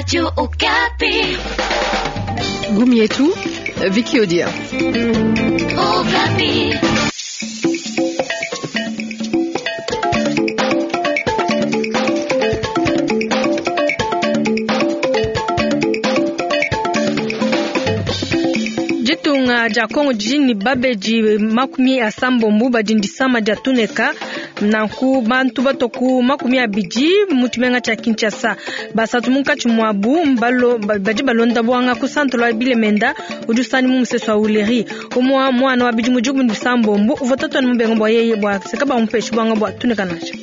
Radio Okapi. Gumi yetu Vicky Odia. Okapi. Ditunga dia Kongo didi ne babedi 80 badi disama dia tuneka nanku bantu bato ku 20 mu tshimenga tshia Kinshasa, 3 munkatshi muabu badi balonda bwanga ku centre wa Bilemenda udi usani mu musesu wa Uleri. Umwa mwana wa bidimu 16 uvua tatuane mubenga bua yeye bua seka bamupeshe bwanga bua tuneka nansha.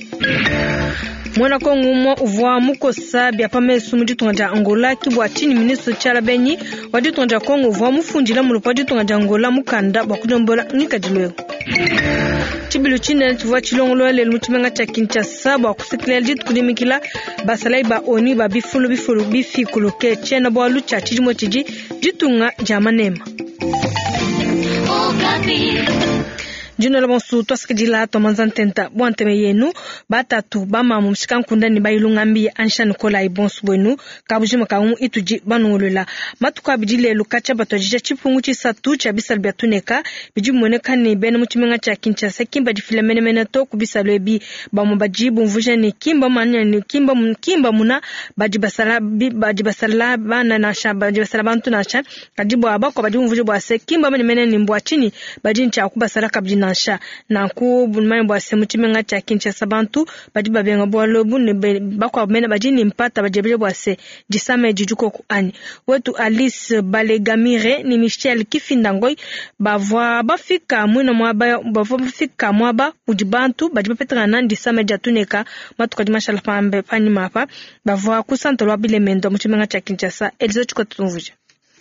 Mwana Kongo umwe uvua mukosa bia pamesu mu ditunga dia Angola ki bua tshini ministre Tshiala Benyi wa ditunga dia Kongo uvua mufundila mulupu wa ditunga dia Angola mukanda bua kudiombola ngikadilu eu. Tshibilu tshinene tshivua tshilongolola lelu mu tshimenga tshia Kinshasa bua kusekelela dituku dimikila basalayi ba ONU ba bifulu bifulu bifikuluke tshiena bualu tshia tshidimu tshidi ditunga dia manema. Dinola bonso twasikidila twamanza ntenta bua nteme yenu batatu bamamu mshikankunda ne bayilungambi ansha Nikolai bonso bwenu kabujima kamu itudi banungulula matuku abidi lelu kacha batwajija chipungu chisatu cha bisalu bya tuneka bidi bimueneka ne bena mu tshimenga tshia Kinshasa kimba difila menemene to ku bisalu ebi bamwe badi bumvuja ne kimba manya ne kimba kimba muna badi basala badi basala bana nansha badi basala bantu nansha kadi bua bakwa badi bumvuja bua se kimba menemene ne mbua chini badi ntsha kubasala kabidi nansha nanku bunmanye bua se mu tshimenga tshia Kinshasa bantu badi babenga bualu ebu ne bakwa mene badi ne mpata badi bua se disame didikoko anyi wetu Alice Balegamire ni Michel Kifindangoi bavua bafika mwina mwaba bavua bafika mwaba udi bantu badi bapetangana disame dia tuneka matuka di mashala pambe panyima apa bavua ku centre lwa Bilemendo mu tshimenga tshia Kinshasa Elizo Tshikotumvuja.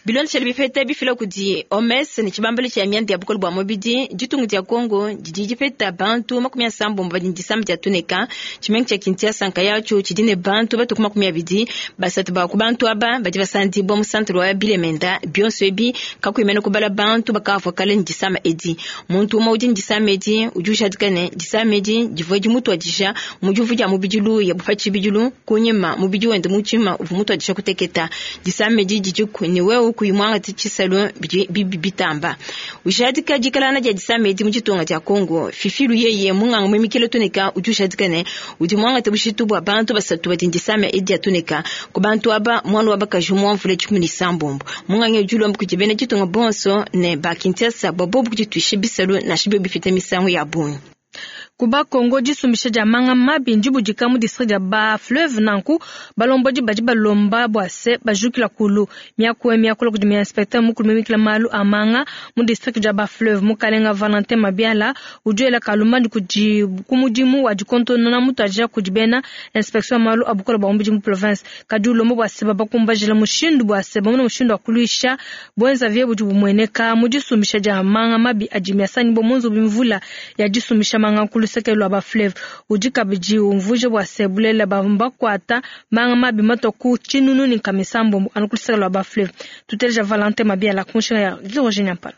Bilondeshele bipeta bifila kudi OMS ne tshibambalo tshia mianda ya bukole bua mubidi ditunga dia Kongo didi dipeta bantu 80 badi disama dia tuneka. Tshimenga tshia Kinshasa nkayatsho tshidi ne bantu batu 23 ba ku bantu aba badi basandibwa mu centre wa Bilemenda bionso ebi kakuimena kubala bantu bakavua kale ne disama edi. Muntu umwe udi ne disama edi udi ujadika ne disama edi divua dimutwadija mu divu dia mubidi luya bupa tshibidilu kunyima mubidi wende mutshima uvua mutwadija kuteketa. Disama edi didi ne wewe kuyimwanga tshisalu bibi bitamba ujadika dikalana dia disama edi mu ditunga dia Kongo. Fifilu yeye munganga mwimikile tuneka udi ujadika ne udi mwanga tabushitu bua bantu 3 badi disama edi dia tuneka ku bantu aba mwana wa bakaji mwamvule 16 munganga udi ulomba kudi bena ditunga bonso ne ba Kinshasa bobo kuditwisha bisalu na shibyo bifite misango ya bungi. Kuba Kongo disumbisha dia manga mabi ndibudika mu district ya ba fleuve nanku balombodi badi balomba bua se bajukila kulu miaku miakula kudi inspecteur mukulu mimikila malu a manga mu district ya ba fleuve mukalenga Valentin Mabiala ujuela kalumba kudi kumudimu wa dikontonona mutu kudi bena inspection malu abukola bwa mubidi mu province kadi ulomba bua se babakumbajila mushindu bua se bamuna mushindu wa kuluisha bwenza vie budi bumueneka mu disumbisha dia manga mabi adi miasani bo munzu bimvula ya disumbisha manga kulu sekelo ba fleuve udi kabidi umvuje bua se bulela bambakwata manga mabi matoku chinunu ni kamisambo anukulisekelo ba fleuve tuteleja Valentin Mabiala kunshinga ya Virginia Mpala.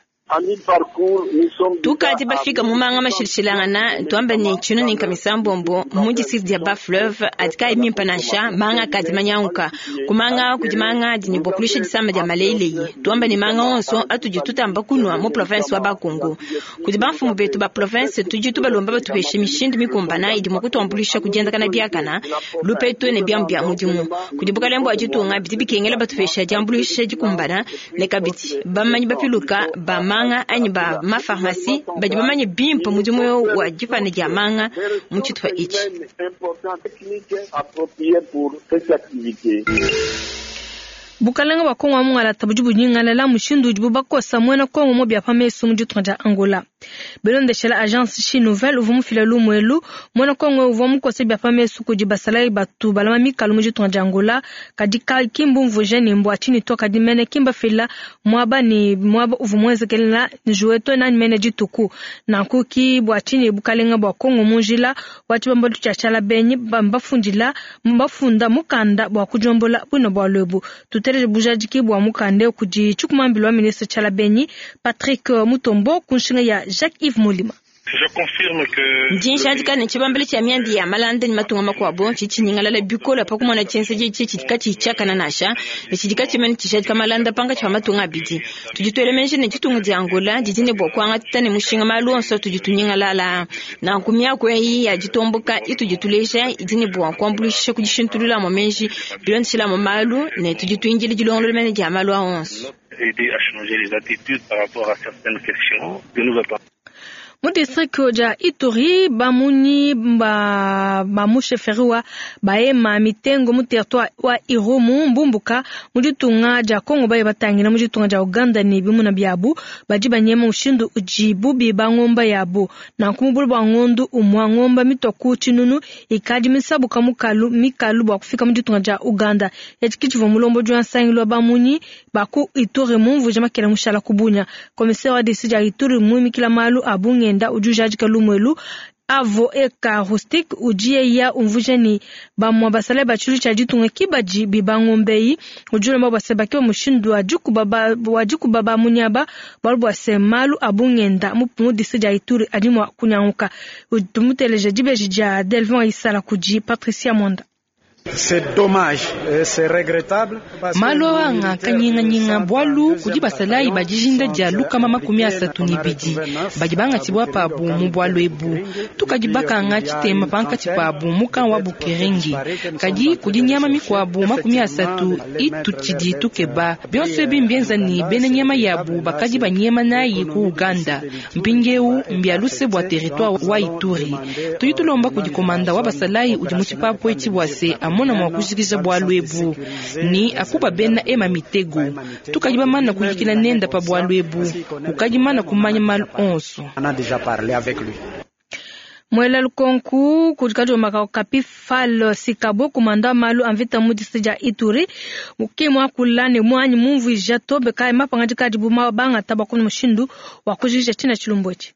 Tukati bafika mumanga mashilishilangana tuamba ni chino ni kamisambombo mu district ya ba fleuve atika imimpa nansha manga kadi manyanguka kumanga kudimanga dini bokulisha disama dia maleleyi tuamba ni manga onso atudi tutamba kunwa mu province wa Bakongo kudi bamfumu betu ba province tudi tubalomba batupeshe mishindu mikumbana idi mukutuambulisha kudienda kana biakana lupetu ne byambu bya mudimu kudi bukalembo ajitunga bidi bikengela batupesha diambulisha dikumbana ne kabidi bamanyi bapiluka ba manga anyi ba ma pharmacie badi bamanye bimpe mudimu wa dipana dia manga mu tshitupa ichi. Bukalenga bwa Kongo amungala tabudi bunyingala mushindu udi bubakosa mwena Kongo mo bya pamesu mu ditunga dia Angola. Belondeshela agence Chine Nouvelle uvua mufila lumwelu mwena Kongo uvua mukose bya pamesu kudi basalai batu balama mikalu mu ditunga dia Angola kadi kimbu mvuje ne mbwa chini to kadi mene kimba fila mwaba ni mwaba uvua mwenzekelela njueto nani mene dituku nankuki bwa chini bukalenga bwa Kongo munjila wachibamba tuchachala benyi bambafundila mbafunda mukanda bwa kujombola bwino bwa lwebu tutele bujadiki bwa mukande kudi chukumambilo wa ministre Tshiala Benyi Patrick Mutombo kunshinga ya Jacques-Yves Molima. Ndi njadika ne, tshibambalu tshia mianda ya malanda ne matunga makuabo tshidi tshinyingalala bikole pa kumona tshienzedi etshi tshidi katshiyi tshiakane nansha ne tshidi katshimane tshijadika malanda pankatshi pa matunga abidi. Tudi tuela meji ne, ditunga dia Angola didi ne bua kuangata ne mushinga malu onso atudi tunyingalala aa. Nanku miaku eyi ya ditomboka itudi tuleja idi ne bua kuambuluisha ku dishintulula amue meji bilondeshile amue malu, ne tudi tuindila dilongolola mene dia malu aa onso. Mu distrike dia Ituri, bamunyi ba ba mu sheferi wa Bahema Mitengo mu territoire wa Irumu mbumbuka mu ditunga dia Congo baye batangila mu ditunga dia Uganda ne bimuna biabu. Badi banyema mushindu udibu biba ngomba yabu. Nanku mu bule bua ngondu umua ngomba mitua ku tshinunu ikadi misabuka mukalu mikalu bua kufika mu ditunga dia Uganda. Etshi ke tshivua mulombodi wa nsangilu wa bamunyi ba ku Ituri mumvuija makela mushala ku Bunia. Commissaire wa district dia Ituri muimikila malu a bungenda udi ujadika lumu elu. Avo Eka Rustic udi yeya umvuija ne bamua basalayi ba tshilu tshia ditunga ki badi biba ngombe eyi. Udi ulomba bua se bakeba mushindu wa dikuba ba, wa dikuba ba munyaba bualu bua se malu a bungenda mu, mu district dia Ituri adi mua kunyanguka. Tumuteleja dibeji dia Delvin Isala kudi Patricia Mwanda. Malu aa nga kanyinganyinga bualu kudi basalayi ba dijinda dia 32 badi bangatshibua pabu mu bualu ebu. Tukadi bakanga tshitema pankatshi pabu mu camp wa Bukerenge, kadi kudi nyama mikuabu 30 itutshidi tukeba. Bionso ebi mbienza ne bena nyama yabu bakadi banyema nayi ku Uganda. Mpindieu mbia luse bua territoire wa Ituri. Tudi tulomba kudi komanda wa basalayi udi mu tshipapu etshi bua se amona mua kujikija bualu ebu ni akuba bena ema mitego. Tukadi bamana kuyikila nenda pa bualu ebu, ukadi mana kumanya malu onso. Muela lukonku kudi kadiomba ka Okapi Fall Sikabo kumanda malu a mvita mu district dia Ituri ke muakula ne muanyi mumvuija tobe kayi mapangadika adibu bangata bua kumona mushindu wa kujikija tshina tshilumbu etshi.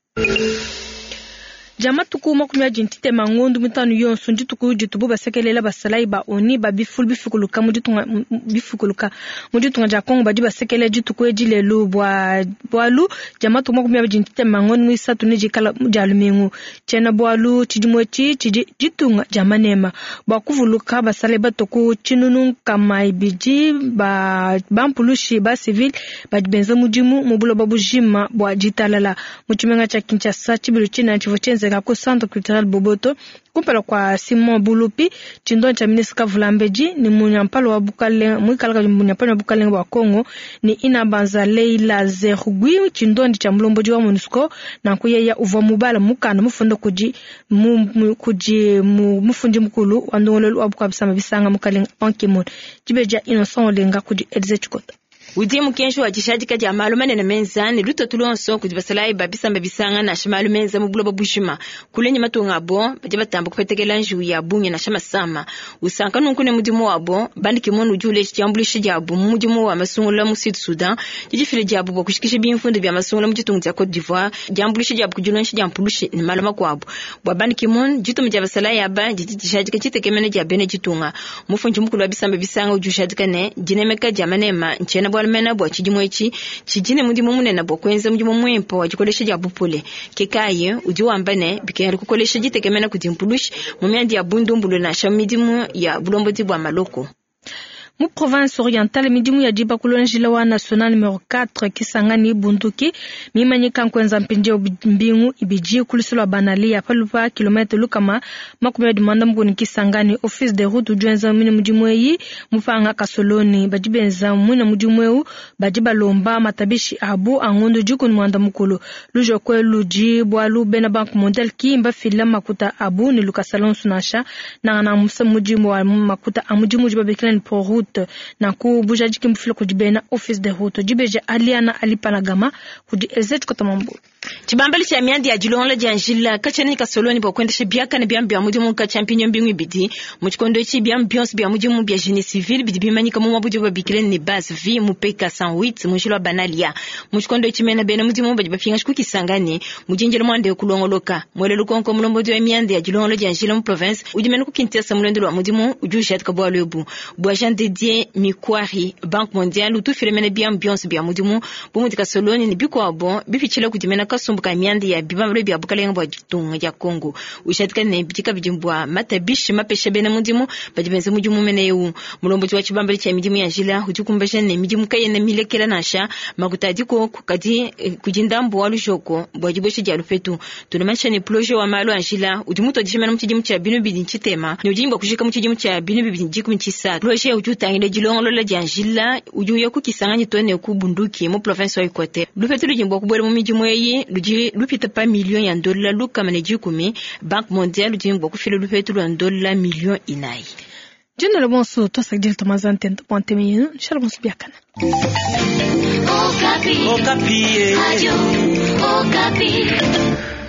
Dia matuku 23 ngondu mitanu yonso ndituku ditubu basekelela basalayi ba ONU ba bifulu bifikuluka mu ditunga bifikuluka mu ditunga dia Congo badi basekelela dituku edi lelu bua bualu dia matuku 23 ngondu muisatu ne dikala dia lumingu. Tshiena bualu tshidimu etshi tshidi ditunga dia manema bua kuvuluka basalayi batue ku 200 ba bampulushi ba civil badi benza mudimu mu buloba bujima bua ditalala. Mu tshimenga tshia Kinshasa tshibilu tshina tshivua tshienzeka ku Centre Culturel Boboto kumpala kua Simon Bulupi tshindonyi tshia ministre Kavulambedi ne munyampala wa bukalenge muikala kabidi munyampala wa bukalenge bua Congo ne Inabanza Leila Zergui tshindonyi tshia mulombodi wa MONUSCO. Nanku yeya uvua mubala mukanda mufunda kudi kudi mufundi mukulu wa ndongoluelu wa bukua bisamba bisanga mukalenge Ban Ki-moon. Dibeji dia Innocent Olenga kudi Elise Tshikota. Udi mukenji wa dishadika dia malu manene menza ne lutatu luonso kudi basalayi ba bisamba bisanga nansha malu menza mu buloba bujima. Kule ne matunga abo badi batamba kupetekela njiwu ya bungi nansha masama. Usanka nunku ne mudimu wabo, Ban Ki-moon udi uleja diambuluisha diabu mu mudimu wa masungula mu Sud Sudan, didifila diabu bua kushikisha bimvundu bia masungula mu ditunga dia Cote d'Ivoire, diambuluisha diabu ku dilongesha dia mpulushi ne malu makuabu. Bua Ban Ki-moon, dituma dia basalayi aba didi dijadika ditekemena dia bena ditunga. Mufundi mukulu wa bisamba bisanga udi ujadika ne dinemeka dia manema ntshiena bualu mena bua tshidimu etshi tshidi ne mudimu munene bua kuenza mudimu muimpe wa dikolesha dia bupole. Ke kayi udi wamba ne bikengela kukolesha ditekemena kudi mpulushi mu mianda ya bundumbulu nansha mu midimu ya bulombodi bua maloko. Mu province orientale midimu ya dibakulula njila wa national numero 4 Kisangani Bunduki mimanyika nkuenza mpindieu mbingu ibidi ku lusu lua Banalia palu pa kilomètre 240 Kisangani. Office de route udi wenza mwine mudimu eyi mupanga kasoloni badi benza mwine mudimu eu badi balomba matabishi abu a ngondo 18. Lujokwe ludi bualu bena Banque mondiale ki mbafila makuta abu ne lukasa lonso nansha nangana musa mudimu wa makuta a mudimu udi babikila ne pro route nanku bujadiki mbufila kudi bena office de route. Dibeji Aliana Alipanagama kudi Elzet Kotamambu. Tshibambalu tshia mianda ya dilongola dia njila katshiena ne kasoloni bua kuendesha biakane biamu bia mudimu katshia mpinyo mbingu ibidi. Mu tshikondo etshi biamu bionso bia mudimu bia génie civil bidi bimanyika mu muaba udibu babikila ne base vie mu PK 108 mu njila wa Banalia. Mu tshikondo etshi mena bena mudimu badi bapingaja ku Kisangani mu dinjila muanda kulongoloka. Muele lukonko mulombodi wa mianda ya dilongola dia njila mu province udi mena ku Kinshasa mu luendu lua mudimu udi ujadika bualu ebu. Bua Jean Didier Mikwari, Banque mondiale utufila mena biamu bionso bia mudimu bu mudi kasoloni ne bikuabo bipitshila kudi mena kasumbu ka mianda ya bibambalu bia bukalenga bua ditunga dia Congo. Ujadika ne bidi kabidi bua matabishi mapesha bena mudimu badi benza mudimu mene eu. Mulombodi wa tshibambalu tshia midimu ya njila udi kumbaja ne midimu kayena milekela nansha makuta adiko kadi kudi ndambu wa lujoko bua dibuesha dia lupetu. Tunamanyisha ne projet wa malu a njila udi mutuadije mena mu tshidimu tshia binu bidi tshitema ne udi bua kujika mu tshidimu tshia binu bibidi dikumi tshisatu. Projet udi utangila dilongolola dia njila udi uya ku Kisangani to ne ku Bunduki mu province wa Equateur. Lupetu ludi bua kubuela mu midimu eyi ludi lupita pa million ya ndola lukama ne dikumi. Banque mondiale ludi bua kufila lupetu lua ndola million inayi. Jina la bonso twasakidila tomaza ntenta bua ntema yenu nshala bonso biakana. Okapi. Okapi. Radio Okapi.